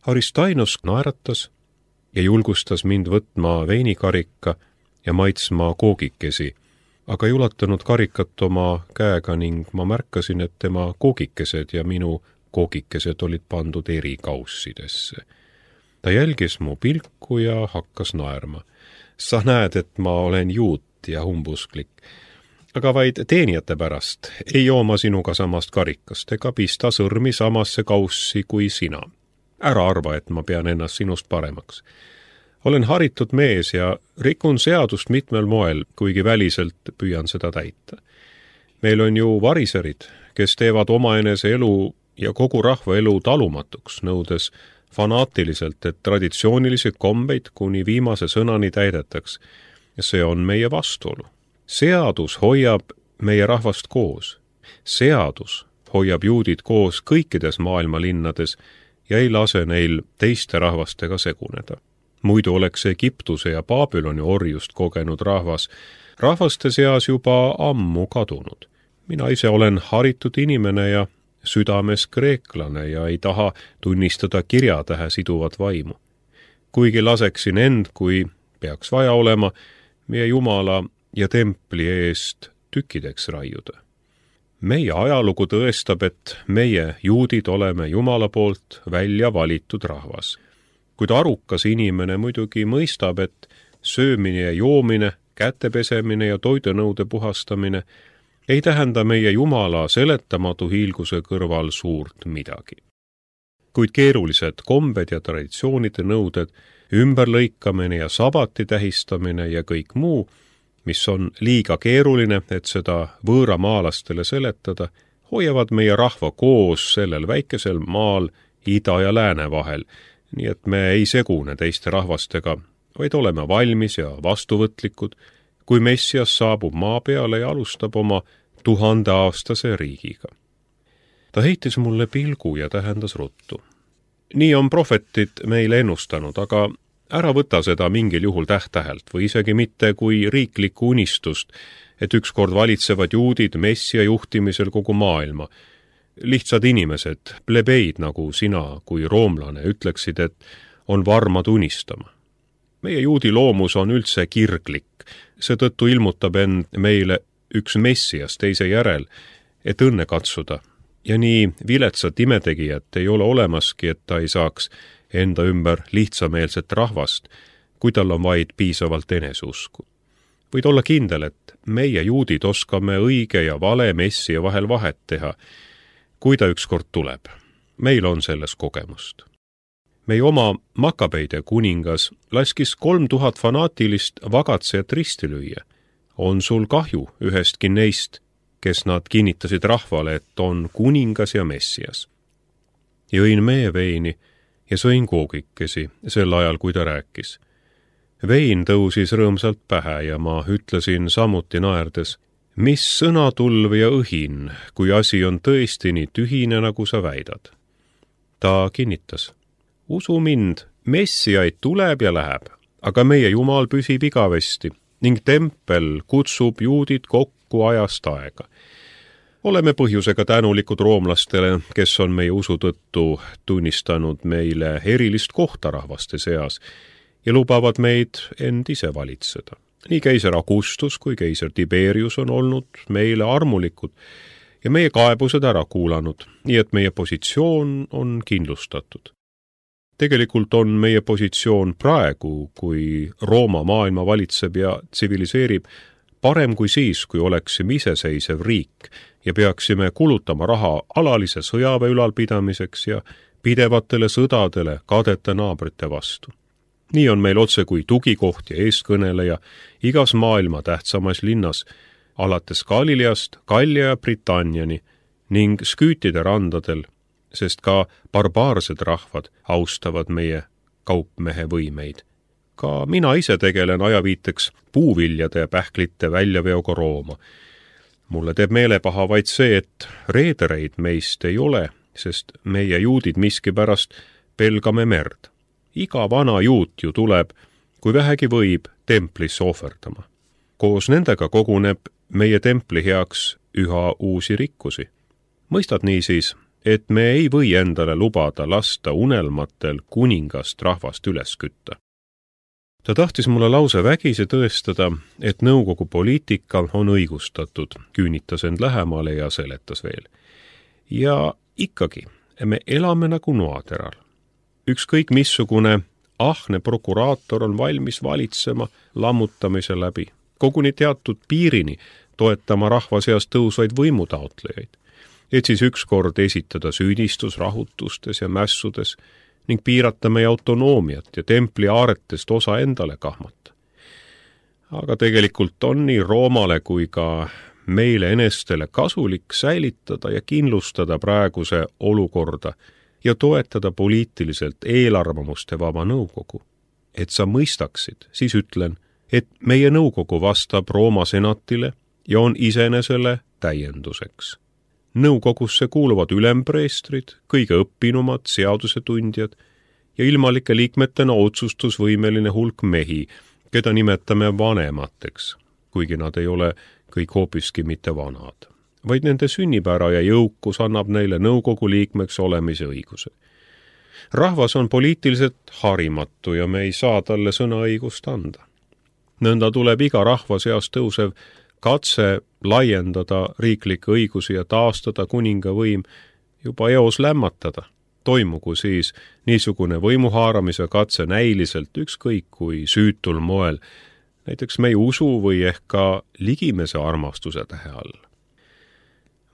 Aristainos naeratas ja julgustas mind võtma veinikarika ja maitsma koogikesi, aga ei ulatanud karikat oma käega ning ma märkasin, et tema koogikesed ja minu koogikesed olid pandud eri kaussidesse. Ta jälgis mu pilku ja hakkas naerma. Sa näed, et ma olen juut ja humbusklik, aga vaid teenijate pärast ei joo ma sinuga samast karikast ega pista sõrmi samasse kaussi kui sina. Ära arva, et ma pean ennast sinust paremaks. Olen haritud mees ja rikun seadust mitmel moel, kuigi väliselt püüan seda täita. Meil on ju variserid, kes teevad omaenese elu ja kogu rahva elu talumatuks, nõudes fanaatiliselt, et traditsioonilisi kombeid kuni viimase sõnani täidetaks. Ja see on meie vastuolu. Seadus hoiab meie rahvast koos. Seadus hoiab juudid koos kõikides maailma linnades ja ei lase neil teiste rahvastega seguneda. Muidu oleks Egiptuse ja Babyloni orjust kogenud rahvaste seas juba ammu kadunud. Mina ise olen haritud inimene ja südames kreeklane ja ei taha tunnistada kirjatähe siduvat vaimu. Kuigi laseksin end, kui peaks vaja olema, meie Jumala ja templi eest tükkideks raiuda. Meie ajalugu tõestab, et meie juudid oleme Jumala poolt välja valitud rahvas. Kuid arukas inimene muidugi mõistab, et söömine ja joomine, kätepesemine ja toidunõude puhastamine ei tähenda meie Jumala seletamatu hiilguse kõrval suurt midagi. Kuid keerulised kombed ja traditsioonide nõuded, ümberlõikamine ja sabati tähistamine ja kõik muu, mis on liiga keeruline, et seda võõramaalastele seletada, hoiavad meie rahva koos sellel väikesel maal ida ja lääne vahel, nii et me ei segune teiste rahvastega, vaid oleme valmis ja vastuvõtlikud, kui Messias saabub maa peale ja alustab oma 1000-aastase riigiga. Ta heitis mulle pilgu ja tähendas ruttu. Nii on prohvetid meile ennustanud, aga ära võta seda mingil juhul täht-tähelt või isegi mitte kui riiklikku unistust, et ükskord valitsevad juudid Messia juhtimisel kogu maailma. Lihtsad inimesed, plebeid nagu sina kui roomlane, ütleksid, et on varmad unistama. Meie juudi loomus on üldse kirglik, seetõttu ilmutab end meile üks Messias teise järel, et õnne katsuda. Ja nii viletsat imetegijat ei ole olemaski, et ta ei saaks enda ümber lihtsameelset rahvast, kui tal on vaid piisavalt eneseusku. Võid olla kindel, et meie juudid oskame õige ja vale Messia vahel vahet teha, kui ta ükskord tuleb. Meil on selles kogemust. Meie oma Makabeide kuningas laskis 3000 fanaatilist vagatsejat risti lüüa. On sul kahju ühestki neist, kes nad kinnitasid rahvale, et on kuningas ja Messias. Jõin meeveini ja sõin koogikesi sel ajal, kui ta rääkis. Vein tõusis rõõmsalt pähe ja ma ütlesin samuti naerdes, mis sõnatulv ja õhin, kui asi on tõesti nii tühine, nagu sa väidad. Ta kinnitas, usu mind, Messiaid tuleb ja läheb, aga meie Jumal püsib igavesti ning tempel kutsub juudid kokku ajast aega. Oleme põhjusega tänulikud roomlastele, kes on meie usu tõttu tunnistanud meile erilist kohta rahvaste seas ja lubavad meid end ise valitseda. Nii keiser Augustus kui keiser Tiberius on olnud meile armulikud ja meie kaebused ära kuulanud, nii et meie positsioon on kindlustatud. Tegelikult on meie positsioon praegu, kui Rooma maailma valitseb ja tsiviliseerib, parem kui siis, kui oleksime iseseisev riik ja peaksime kulutama raha alalise sõjaväe ülalpidamiseks ja pidevatele sõdadele kadete naabrite vastu. Nii on meil otse kui tugikoht ja eeskõneleja igas maailma tähtsamas linnas, alates Galileast, Gallia ja Britanniani ning Sküütide randadel, sest ka barbaarsed rahvad austavad meie kaupmehe võimeid. Ka mina ise tegelen ajaviiteks puuviljade ja pähklite väljaveoga Rooma. Mulle teeb meelepaha vaid see, et reedereid meist ei ole, sest meie juudid miskipärast pelgame merd. Iga vana juut ju tuleb, kui vähegi võib, templisse ohverdama. Koos nendega koguneb meie templi heaks üha uusi rikkusi. Mõistad niisiis, et me ei või endale lubada lasta unelmatel kuningast rahvast üles kütta. Ta tahtis mulle lause vägisi tõestada, et nõukogu poliitika on õigustatud, küünitas end lähemale ja seletas veel. Ja ikkagi, me elame nagu noateral. Ükskõik missugune ahne prokuraator on valmis valitsema lammutamise läbi, koguni teatud piirini toetama rahva seas tõusvaid võimutaotlejaid, et siis ükskord esitada süüdistus rahutustes ja mässudes ning piirata meie autonoomiat ja templi aaretest osa endale kahmata. Aga tegelikult on nii Roomale kui ka meile enestele kasulik säilitada ja kindlustada praeguse olukorda ja toetada poliitiliselt eelarvamuste vaba nõukogu. Et sa mõistaksid, siis ütlen, et meie nõukogu vastab Rooma senatile ja on iseenesele täienduseks. Nõukogusse kuuluvad ülempreestrid, kõige õppinumad seadusetundjad ja ilmalike liikmetena otsustusvõimeline hulk mehi, keda nimetame vanemateks, kuigi nad ei ole kõik hoopiski mitte vanad, vaid nende sünnipära ja jõukus annab neile nõukogu liikmeks olemise õiguse. Rahvas on poliitiliselt harimatu ja me ei saa talle sõnaõigust anda. Nõnda tuleb iga rahva seas tõusev katse laiendada riiklikke õigusi ja taastada kuninga võim juba eos lämmatada. Toimugu siis niisugune võimuhaaramise katse näiliselt ükskõik kui süütul moel, näiteks meie usu või ehk ka ligimese armastuse tähe all.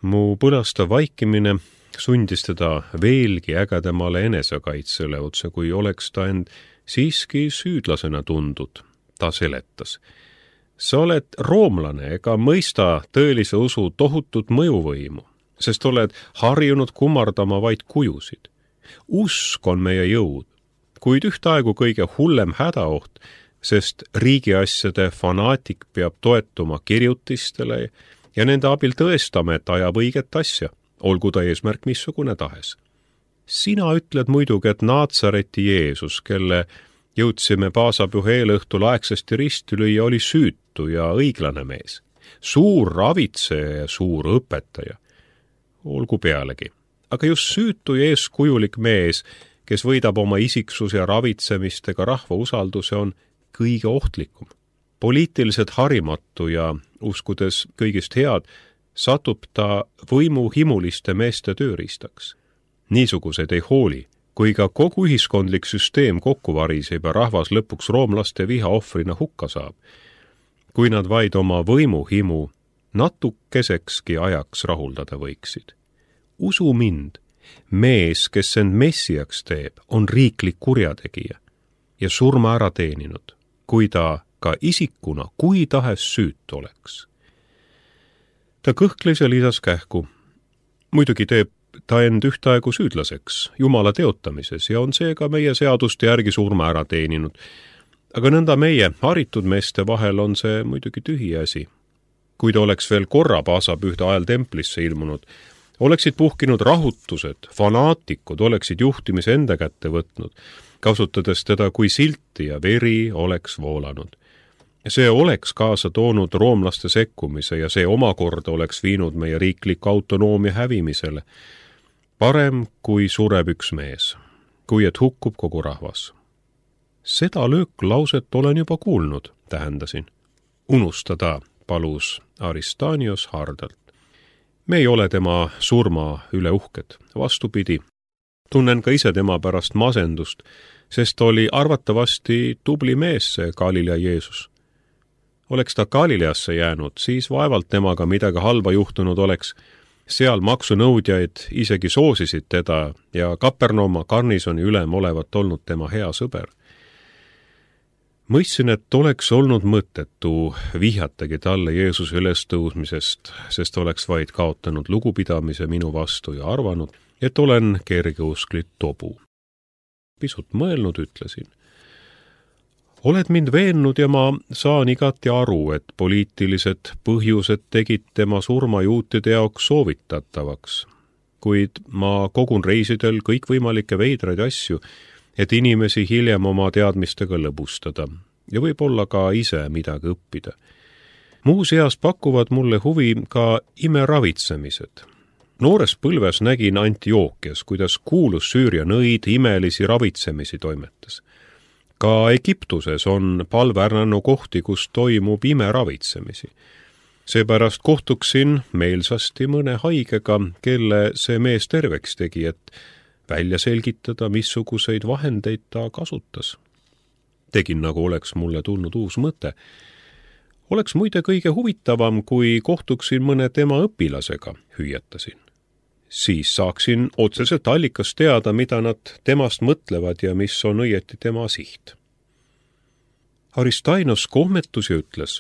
Mu põlastav vaikimine sundis teda veelgi ägedamale enesekaitsele, otse kui oleks ta end siiski süüdlasena tundud. Ta seletas. Sa oled roomlane ega mõista tõelise usu tohutut mõjuvõimu, sest oled harjunud kummardama vaid kujusid. Usk on meie jõud, kuid ühtaegu kõige hullem hädaoht, sest riigiasjade fanaatik peab toetuma kirjutistele ja nende abil tõestama, et ajab õiget asja, olgu ta eesmärk missugune tahes. Sina ütled muidugi, et Naatsareti Jeesus, kelle jõudsime paasapüha eelõhtul aegsasti risti lüüa, oli süütu ja õiglane mees, suur ravitseja ja suur õpetaja. Olgu pealegi, aga just süütu ja eeskujulik mees, kes võidab oma isiksuse ja ravitsemistega rahva usalduse, on kõige ohtlikum. Poliitiliselt harimatu ja uskudes kõigist head, satub ta võimuhimuliste meeste tööriistaks. Niisugused ei hooli, kui ka kogu ühiskondlik süsteem kokku variseb ja rahvas lõpuks roomlaste viha ohvrina hukka saab, kui nad vaid oma võimuhimu natukesekski ajaks rahuldada võiksid. Usu mind, mees, kes end messiaks teeb, on riiklik kurjategija ja surma ära teeninud, kui ta ka isikuna kui tahes süüt oleks. Ta kõhkles ja lisas kähku. Muidugi teeb ta end ühtaegu süüdlaseks Jumala teotamises ja on seega meie seaduste järgi surma ära teeninud. Aga nõnda meie haritud meeste vahel on see muidugi tühi asi. Kui ta oleks veel korra paasapühde ajal templisse ilmunud, oleksid puhkinud rahutused, fanaatikud oleksid juhtimise enda kätte võtnud, kasutades teda kui silti ja veri oleks voolanud. See oleks kaasa toonud roomlaste sekkumise ja see omakorda oleks viinud meie riikliku autonoomia hävimisele. Parem, kui sureb üks mees, kui et hukkub kogu rahvas. Seda lööklauset olen juba kuulnud, tähendasin. Unustada, palus Aristanios hardalt. Me ei ole tema surma üle uhked, vastupidi. Tunnen ka ise tema pärast masendust, sest oli arvatavasti tubli mees see Galilea Jeesus. Oleks ta Galileasse jäänud, siis vaevalt temaga midagi halba juhtunud oleks. Seal maksunõudjaid isegi soosisid teda ja Kapernauma garnisoni ülem olevat olnud tema hea sõber. Mõistsin, et oleks olnud mõttetu vihjatagi talle Jeesuse ülestõusmisest, sest oleks vaid kaotanud lugupidamise minu vastu ja arvanud, et olen kergeusklit tobu. Pisut mõelnud ütlesin. Oled mind veennud ja ma saan igati aru, et poliitilised põhjused tegid tema surma juutide jaoks soovitatavaks, kuid ma kogun reisidel kõikvõimalikke veidraid asju, et inimesi hiljem oma teadmistega lõbustada ja võib-olla ka ise midagi õppida. Muuseas pakuvad mulle huvi ka imeravitsemised. Noores põlves nägin Antiookias, kuidas kuulus Süüria nõid imelisi ravitsemisi toimetas. Ka Egiptuses on palvärnanu kohti, kus toimub imeravitsemisi. Seepärast kohtuksin meelsasti mõne haigega, kelle see mees terveks tegi, et välja selgitada, missuguseid vahendeid ta kasutas. Tegin, nagu oleks mulle tulnud uus mõte. Oleks muide kõige huvitavam, kui kohtuksin mõne tema õpilasega, hüüatasin. Siis saaksin otseselt allikast teada, mida nad temast mõtlevad ja mis on õieti tema siht. Aristainos kohmetus ja ütles,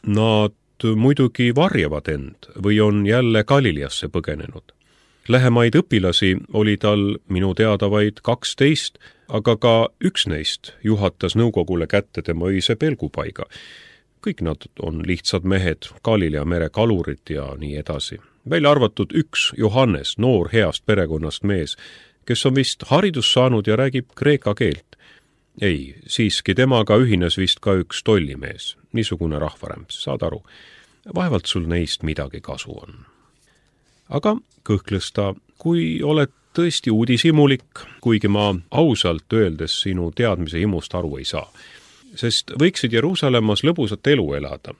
nad muidugi varjavad end või on jälle Galileasse põgenenud. Lähemaid õpilasi oli tal minu teada vaid 12, aga ka üks neist juhatas nõukogule kätte tema öise pelgupaiga. Kõik nad on lihtsad mehed, Galilea mere kalurid ja nii edasi. Välja arvatud üks Johannes, noor heast perekonnast mees, kes on vist haridus saanud ja räägib kreeka keelt. Ei, siiski temaga ühines vist ka üks tollimees, niisugune rahvarämps, saad aru. Vaevalt sul neist midagi kasu on. Aga kõhkles ta, kui oled tõesti uudishimulik, kuigi ma ausalt öeldes sinu teadmise himust aru ei saa. Sest võiksid Jeruusalemmas lõbusat elu elada,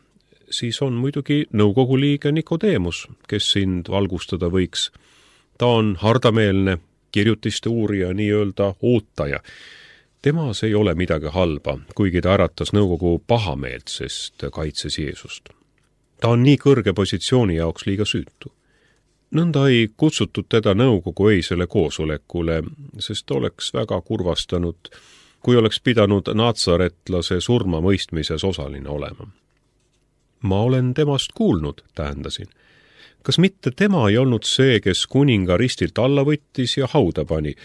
siis on muidugi nõukogu liige Nikodeemus, kes sind valgustada võiks. Ta on hardameelne, kirjutiste uurija, nii-öelda ootaja. Temas ei ole midagi halba, kuigi ta äratas nõukogu pahameelt, sest kaitses Jeesust. Ta on nii kõrge positsiooni jaoks liiga süütu. Nõnda ei kutsutud teda nõukogu eisele koosolekule, sest oleks väga kurvastanud, kui oleks pidanud natsaretlase surma mõistmises osaline olema. Ma olen temast kuulnud, tähendasin. Kas mitte tema ei olnud see, kes kuninga ristilt alla võttis ja hauda pani?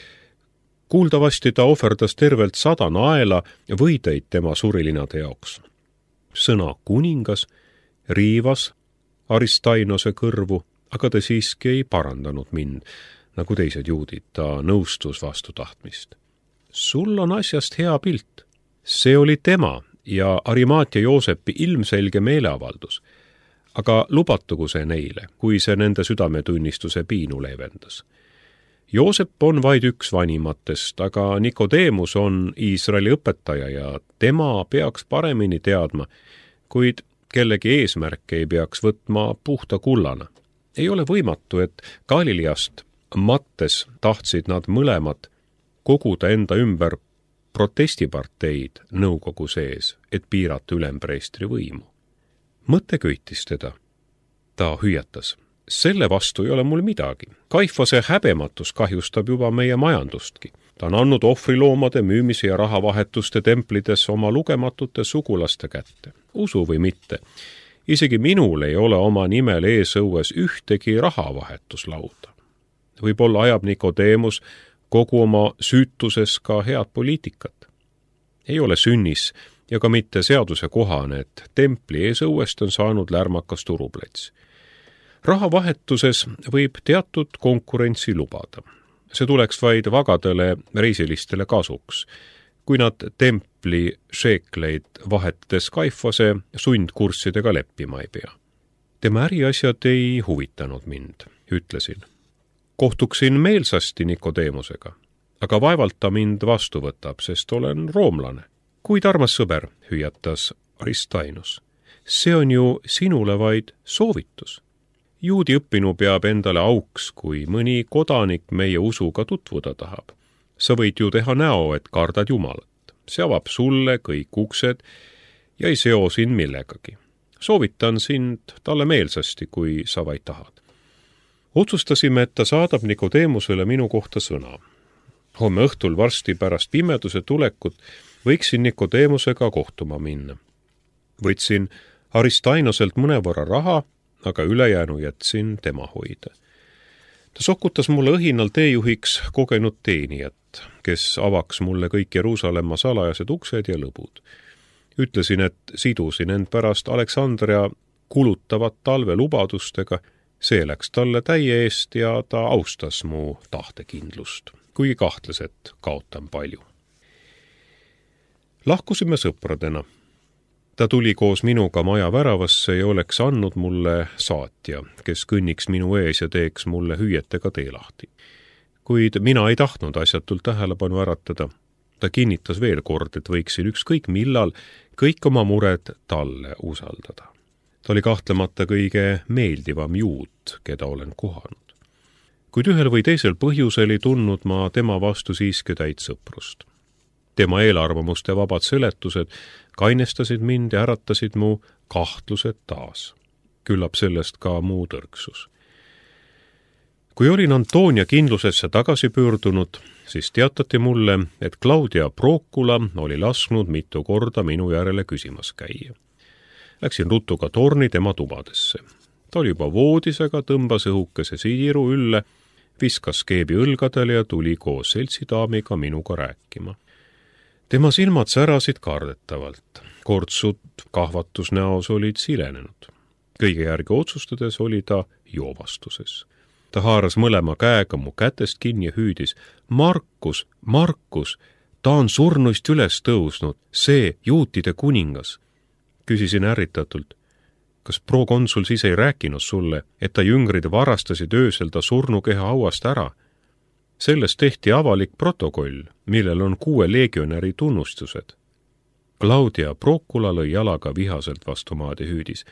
Kuuldavasti ta ohverdas tervelt 100 naela võideid tema surilinade jaoks. Sõna kuningas riivas Aristainose kõrvu, aga ta siiski ei parandanud mind, nagu teised juudid, ta nõustus vastu tahtmist. Sul on asjast hea pilt. See oli tema ja Arimaatia Joosepi ilmselge meeleavaldus, aga lubatugu see neile, kui see nende südametunnistuse piinu leevendas. Joosep on vaid üks vanimatest, aga Nikodeemus on Iisraeli õpetaja ja tema peaks paremini teadma, kuid kellegi eesmärk ei peaks võtma puhta kullana. Ei ole võimatu, et Galileast mattes tahtsid nad mõlemad koguda enda ümber protestiparteid nõukogu sees, et piirata ülempreestri võimu. Mõte köitis teda. Ta hüüatas. Selle vastu ei ole mul midagi. Kaifase häbematus kahjustab juba meie majandustki. Ta on andnud ohvriloomade müümise ja rahavahetuste templides oma lugematute sugulaste kätte. Usu või mitte. Isegi minul ei ole oma nimel eesõues ühtegi rahavahetuslauda. Võib-olla ajab Nikodeemus kogu oma süütuses ka head poliitikat. Ei ole sünnis ja ka mitte seaduse kohane, et templi eesõuest on saanud lärmakas turuplats. Rahavahetuses võib teatud konkurentsi lubada. See tuleks vaid vagadele reisilistele kasuks, kui nad templi šeekleid vahetades Kaifase sundkurssidega leppima ei pea. Tema äriasjad ei huvitanud mind, ütlesin. Kohtuksin meelsasti Nikodeemusega, aga vaevalt ta mind vastu võtab, sest olen roomlane. Kuid armas sõber, hüüatas Aristainos, see on ju sinule vaid soovitus. Juudi õppinu peab endale auks, kui mõni kodanik meie usuga tutvuda tahab. Sa võid ju teha näo, et kardad Jumalat. See avab sulle kõik uksed ja ei seo sind millegagi. Soovitan sind talle meelsasti, kui sa vaid tahad. Otsustasime, et ta saadab Nikodeemusele minu kohta sõna. Homme õhtul varsti pärast pimeduse tulekut võiksin Nikodeemusega kohtuma minna. Võtsin Aristainoselt mõnevõrra raha, aga ülejäänu jätsin tema hoida. Ta sokutas mulle õhinal teejuhiks kogenud teenijat, kes avaks mulle kõik Jeruusalemma salajased uksed ja lõbud. Ütlesin, et sidusin end pärast Aleksandria kulutavat talve lubadustega, see läks talle täie eest ja ta austas mu tahtekindlust, kuigi kahtles, et kaotan palju. Lahkusime sõpradena. ta tuli koos minuga maja väravasse ja oleks andnud mulle saatja, kes kõnniks minu ees ja teeks mulle hüüetega tee lahti. Kuid mina ei tahtnud asjatult tähelepanu äratada. Ta kinnitas veel kord, et võiksin ükskõik millal kõik oma mured talle usaldada. Ta oli kahtlemata kõige meeldivam juut, keda olen kohanud. Kuid ühel või teisel põhjusel ei tundnud ma tema vastu siiski täit sõprust. Tema eelarvamuste vabad seletused kainestasid mind ja äratasid mu kahtlused taas. Küllap sellest ka muu tõrksus. Kui olin Antonia kindlusesse tagasi pöördunud, siis teatati mulle, et Claudia Procula oli lasknud mitu korda minu järele küsimas käia. Läksin ruttu ka torni tema tubadesse. Ta oli juba voodis, aga tõmbas õhukese siiru ülle, viskas keebi õlgadele ja tuli koos seltsidaamiga minuga rääkima. Tema silmad särasid kardetavalt. Kortsud kahvatusnäos olid silenenud. Kõige järgi otsustades oli ta joovastuses. Ta haaras mõlema käega mu kätest kinni ja hüüdis: Markus, Markus, ta on surnuist üles tõusnud, see juutide kuningas. Küsisin ärritatult: kas prokonsul siis ei rääkinud sulle, et ta jüngrid varastasid öösel ta surnukeha hauast ära? Sellest tehti avalik protokoll, millel on 6 legionäri tunnustused. Claudia Procula lõi jalaga vihaselt vastu maad ja hüüdis: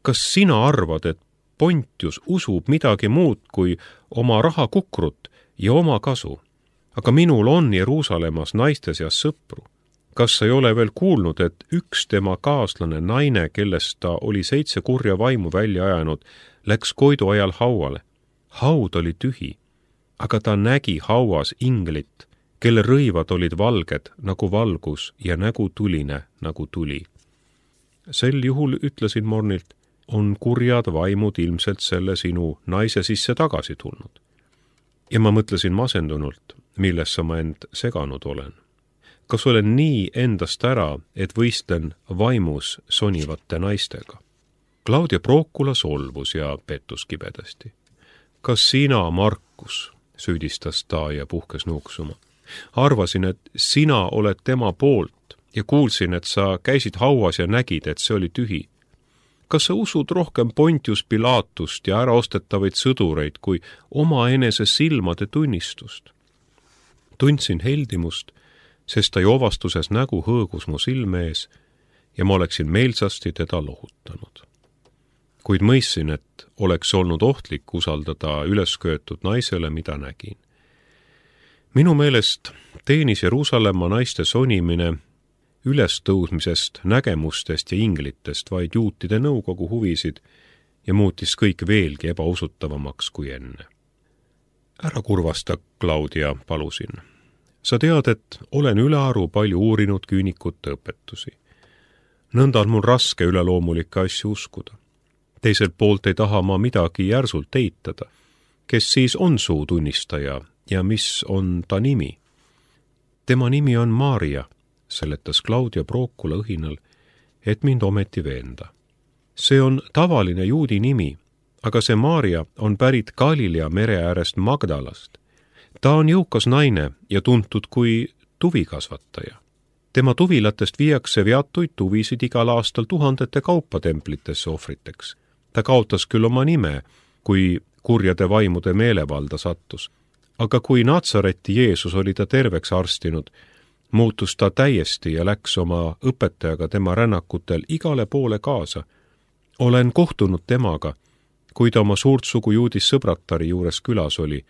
kas sina arvad, et Pontius usub midagi muud kui oma rahakukrut ja oma kasu? Aga minul on Jeruusalemmas naiste seas sõpru. Kas sa ei ole veel kuulnud, et üks tema kaaslane naine, kellest ta oli 7 kurja vaimu välja ajanud, läks koidu ajal hauale? Haud oli tühi, aga ta nägi hauas inglit, kelle rõivad olid valged nagu valgus ja nägu tuline nagu tuli. Sel juhul ütlesin mornilt: on kurjad vaimud ilmselt selle sinu naise sisse tagasi tulnud. Ja ma mõtlesin masendunult, millesse ma end seganud olen. Kas olen nii endast ära, et võistlen vaimus sonivate naistega? Claudia Procula solvus ja pettus kibedasti. Kas sina, Markus, süüdistas ta ja puhkes nuuksuma. Arvasin, et sina oled tema poolt ja kuulsin, et sa käisid hauas ja nägid, et see oli tühi. Kas sa usud rohkem Pontius Pilatust ja äraostetavaid sõdureid kui omaenese silmade tunnistust? Tundsin heldimust, sest ta joovastuses nägu hõõgus mu silme ees ja ma oleksin meelsasti teda lohutanud. Kuid mõistsin, et oleks olnud ohtlik usaldada ülesköetud naisele, mida nägin. Minu meelest teenis Jeruusalemma naiste sonimine ülestõusmisest, nägemustest ja inglitest vaid juutide nõukogu huvisid ja muutis kõik veelgi ebausutavamaks kui enne. Ära kurvasta, Claudia, palusin. Sa tead, et olen ülearu palju uurinud küünikute õpetusi. Nõnda on mul raske üleloomulikke asju uskuda. Teiselt poolt ei taha ma midagi järsult eitada. Kes siis on suu tunnistaja ja mis on ta nimi? Tema nimi on Maria, seletas Claudia Procula õhinal, et mind ometi veenda. See on tavaline juudi nimi, aga see Maria on pärit Galilea mere äärest Magdalast. Ta on jõukas naine ja tuntud kui tuvikasvataja. Tema tuvilatest viiakse veatuid tuvisid igal aastal 1000 kaupa templitesse ohvriteks. Ta kaotas küll oma nime, kui kurjade vaimude meelevalda sattus. Aga kui Natsareti Jeesus oli ta terveks arstinud, muutus ta täiesti ja läks oma õpetajaga tema rännakutel igale poole kaasa. Olen kohtunud temaga, kui ta oma suurt sugu juudis sõbratari juures külas oli,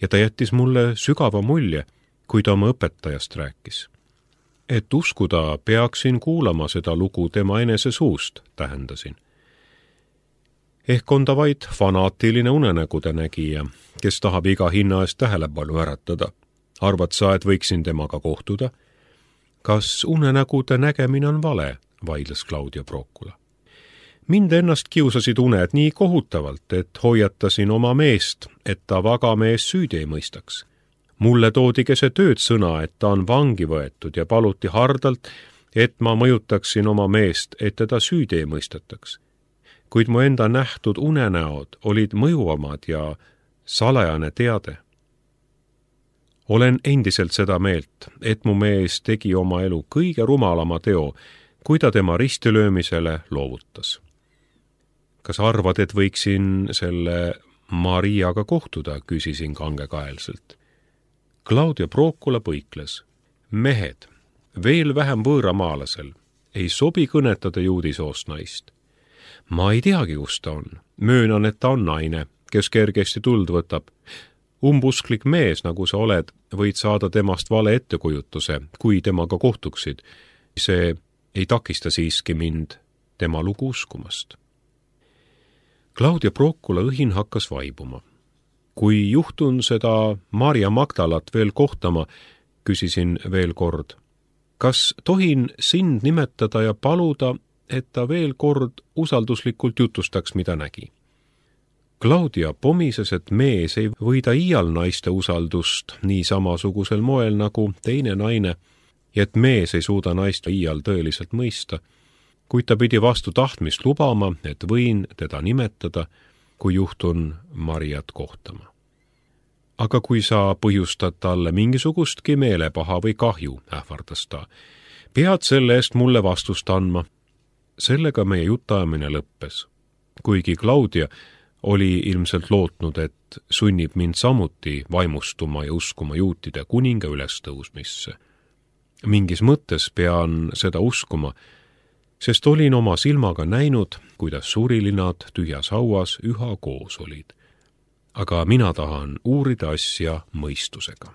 ja ta jättis mulle sügava mulje, kui ta oma õpetajast rääkis. Et uskuda, peaksin kuulama seda lugu tema enese suust, tähendasin. Ehk on ta vaid fanaatiline unenägude nägija, kes tahab iga hinna eest tähelepanu äratada. Arvad sa, et võiksin temaga kohtuda? Kas unenägude nägemine on vale, vaidles Claudia Procula. Mind ennast kiusasid uned nii kohutavalt, et hoiatasin oma meest, et ta vaga mees süüdi ei mõistaks. Mulle toodi keset ööd sõna, et ta on vangi võetud ja paluti hardalt, et ma mõjutaksin oma meest, et teda süüdi ei mõistetaks. Kuid mu enda nähtud unenäod olid mõjuvamad ja salajane teade. Olen endiselt seda meelt, et mu mees tegi oma elu kõige rumalama teo, kui ta tema ristilöömisele loovutas. Kas arvad, et võiksin selle Mariaga kohtuda, küsisin kangekaelselt. Claudia Procula põikles. Mehed, veel vähem võõramaalasel, ei sobi kõnetada juudisoost naist. Ma ei teagi, kus ta on. Möönan, et ta on naine, kes kergesti tuld võtab. Umbusklik mees, nagu sa oled, võid saada temast vale ettekujutuse, kui temaga kohtuksid. See ei takista siiski mind tema lugu uskumast. Claudia Procula õhin hakkas vaibuma. Kui juhtun seda Maria Magdalat veel kohtama, küsisin veel kord. Kas tohin sind nimetada ja paluda, et ta veel kord usalduslikult jutustaks, mida nägi? Claudia pomises, et mees ei võida iial naiste usaldust nii samasugusel moel nagu teine naine ja et mees ei suuda naist iial tõeliselt mõista, kuid ta pidi vastu tahtmist lubama, et võin teda nimetada, kui juhtun Mariat kohtama. Aga kui sa põhjustad talle mingisugustki meelepaha või kahju, ähvardas ta, pead selle eest mulle vastust andma. Sellega meie jutajamine lõppes, kuigi Claudia oli ilmselt lootnud, et sunnib mind samuti vaimustuma ja uskuma juutide kuninga ülestõusmisse. Mingis mõttes pean seda uskuma, sest olin oma silmaga näinud, kuidas surilinad tühjas hauas üha koos olid. Aga mina tahan uurida asja mõistusega.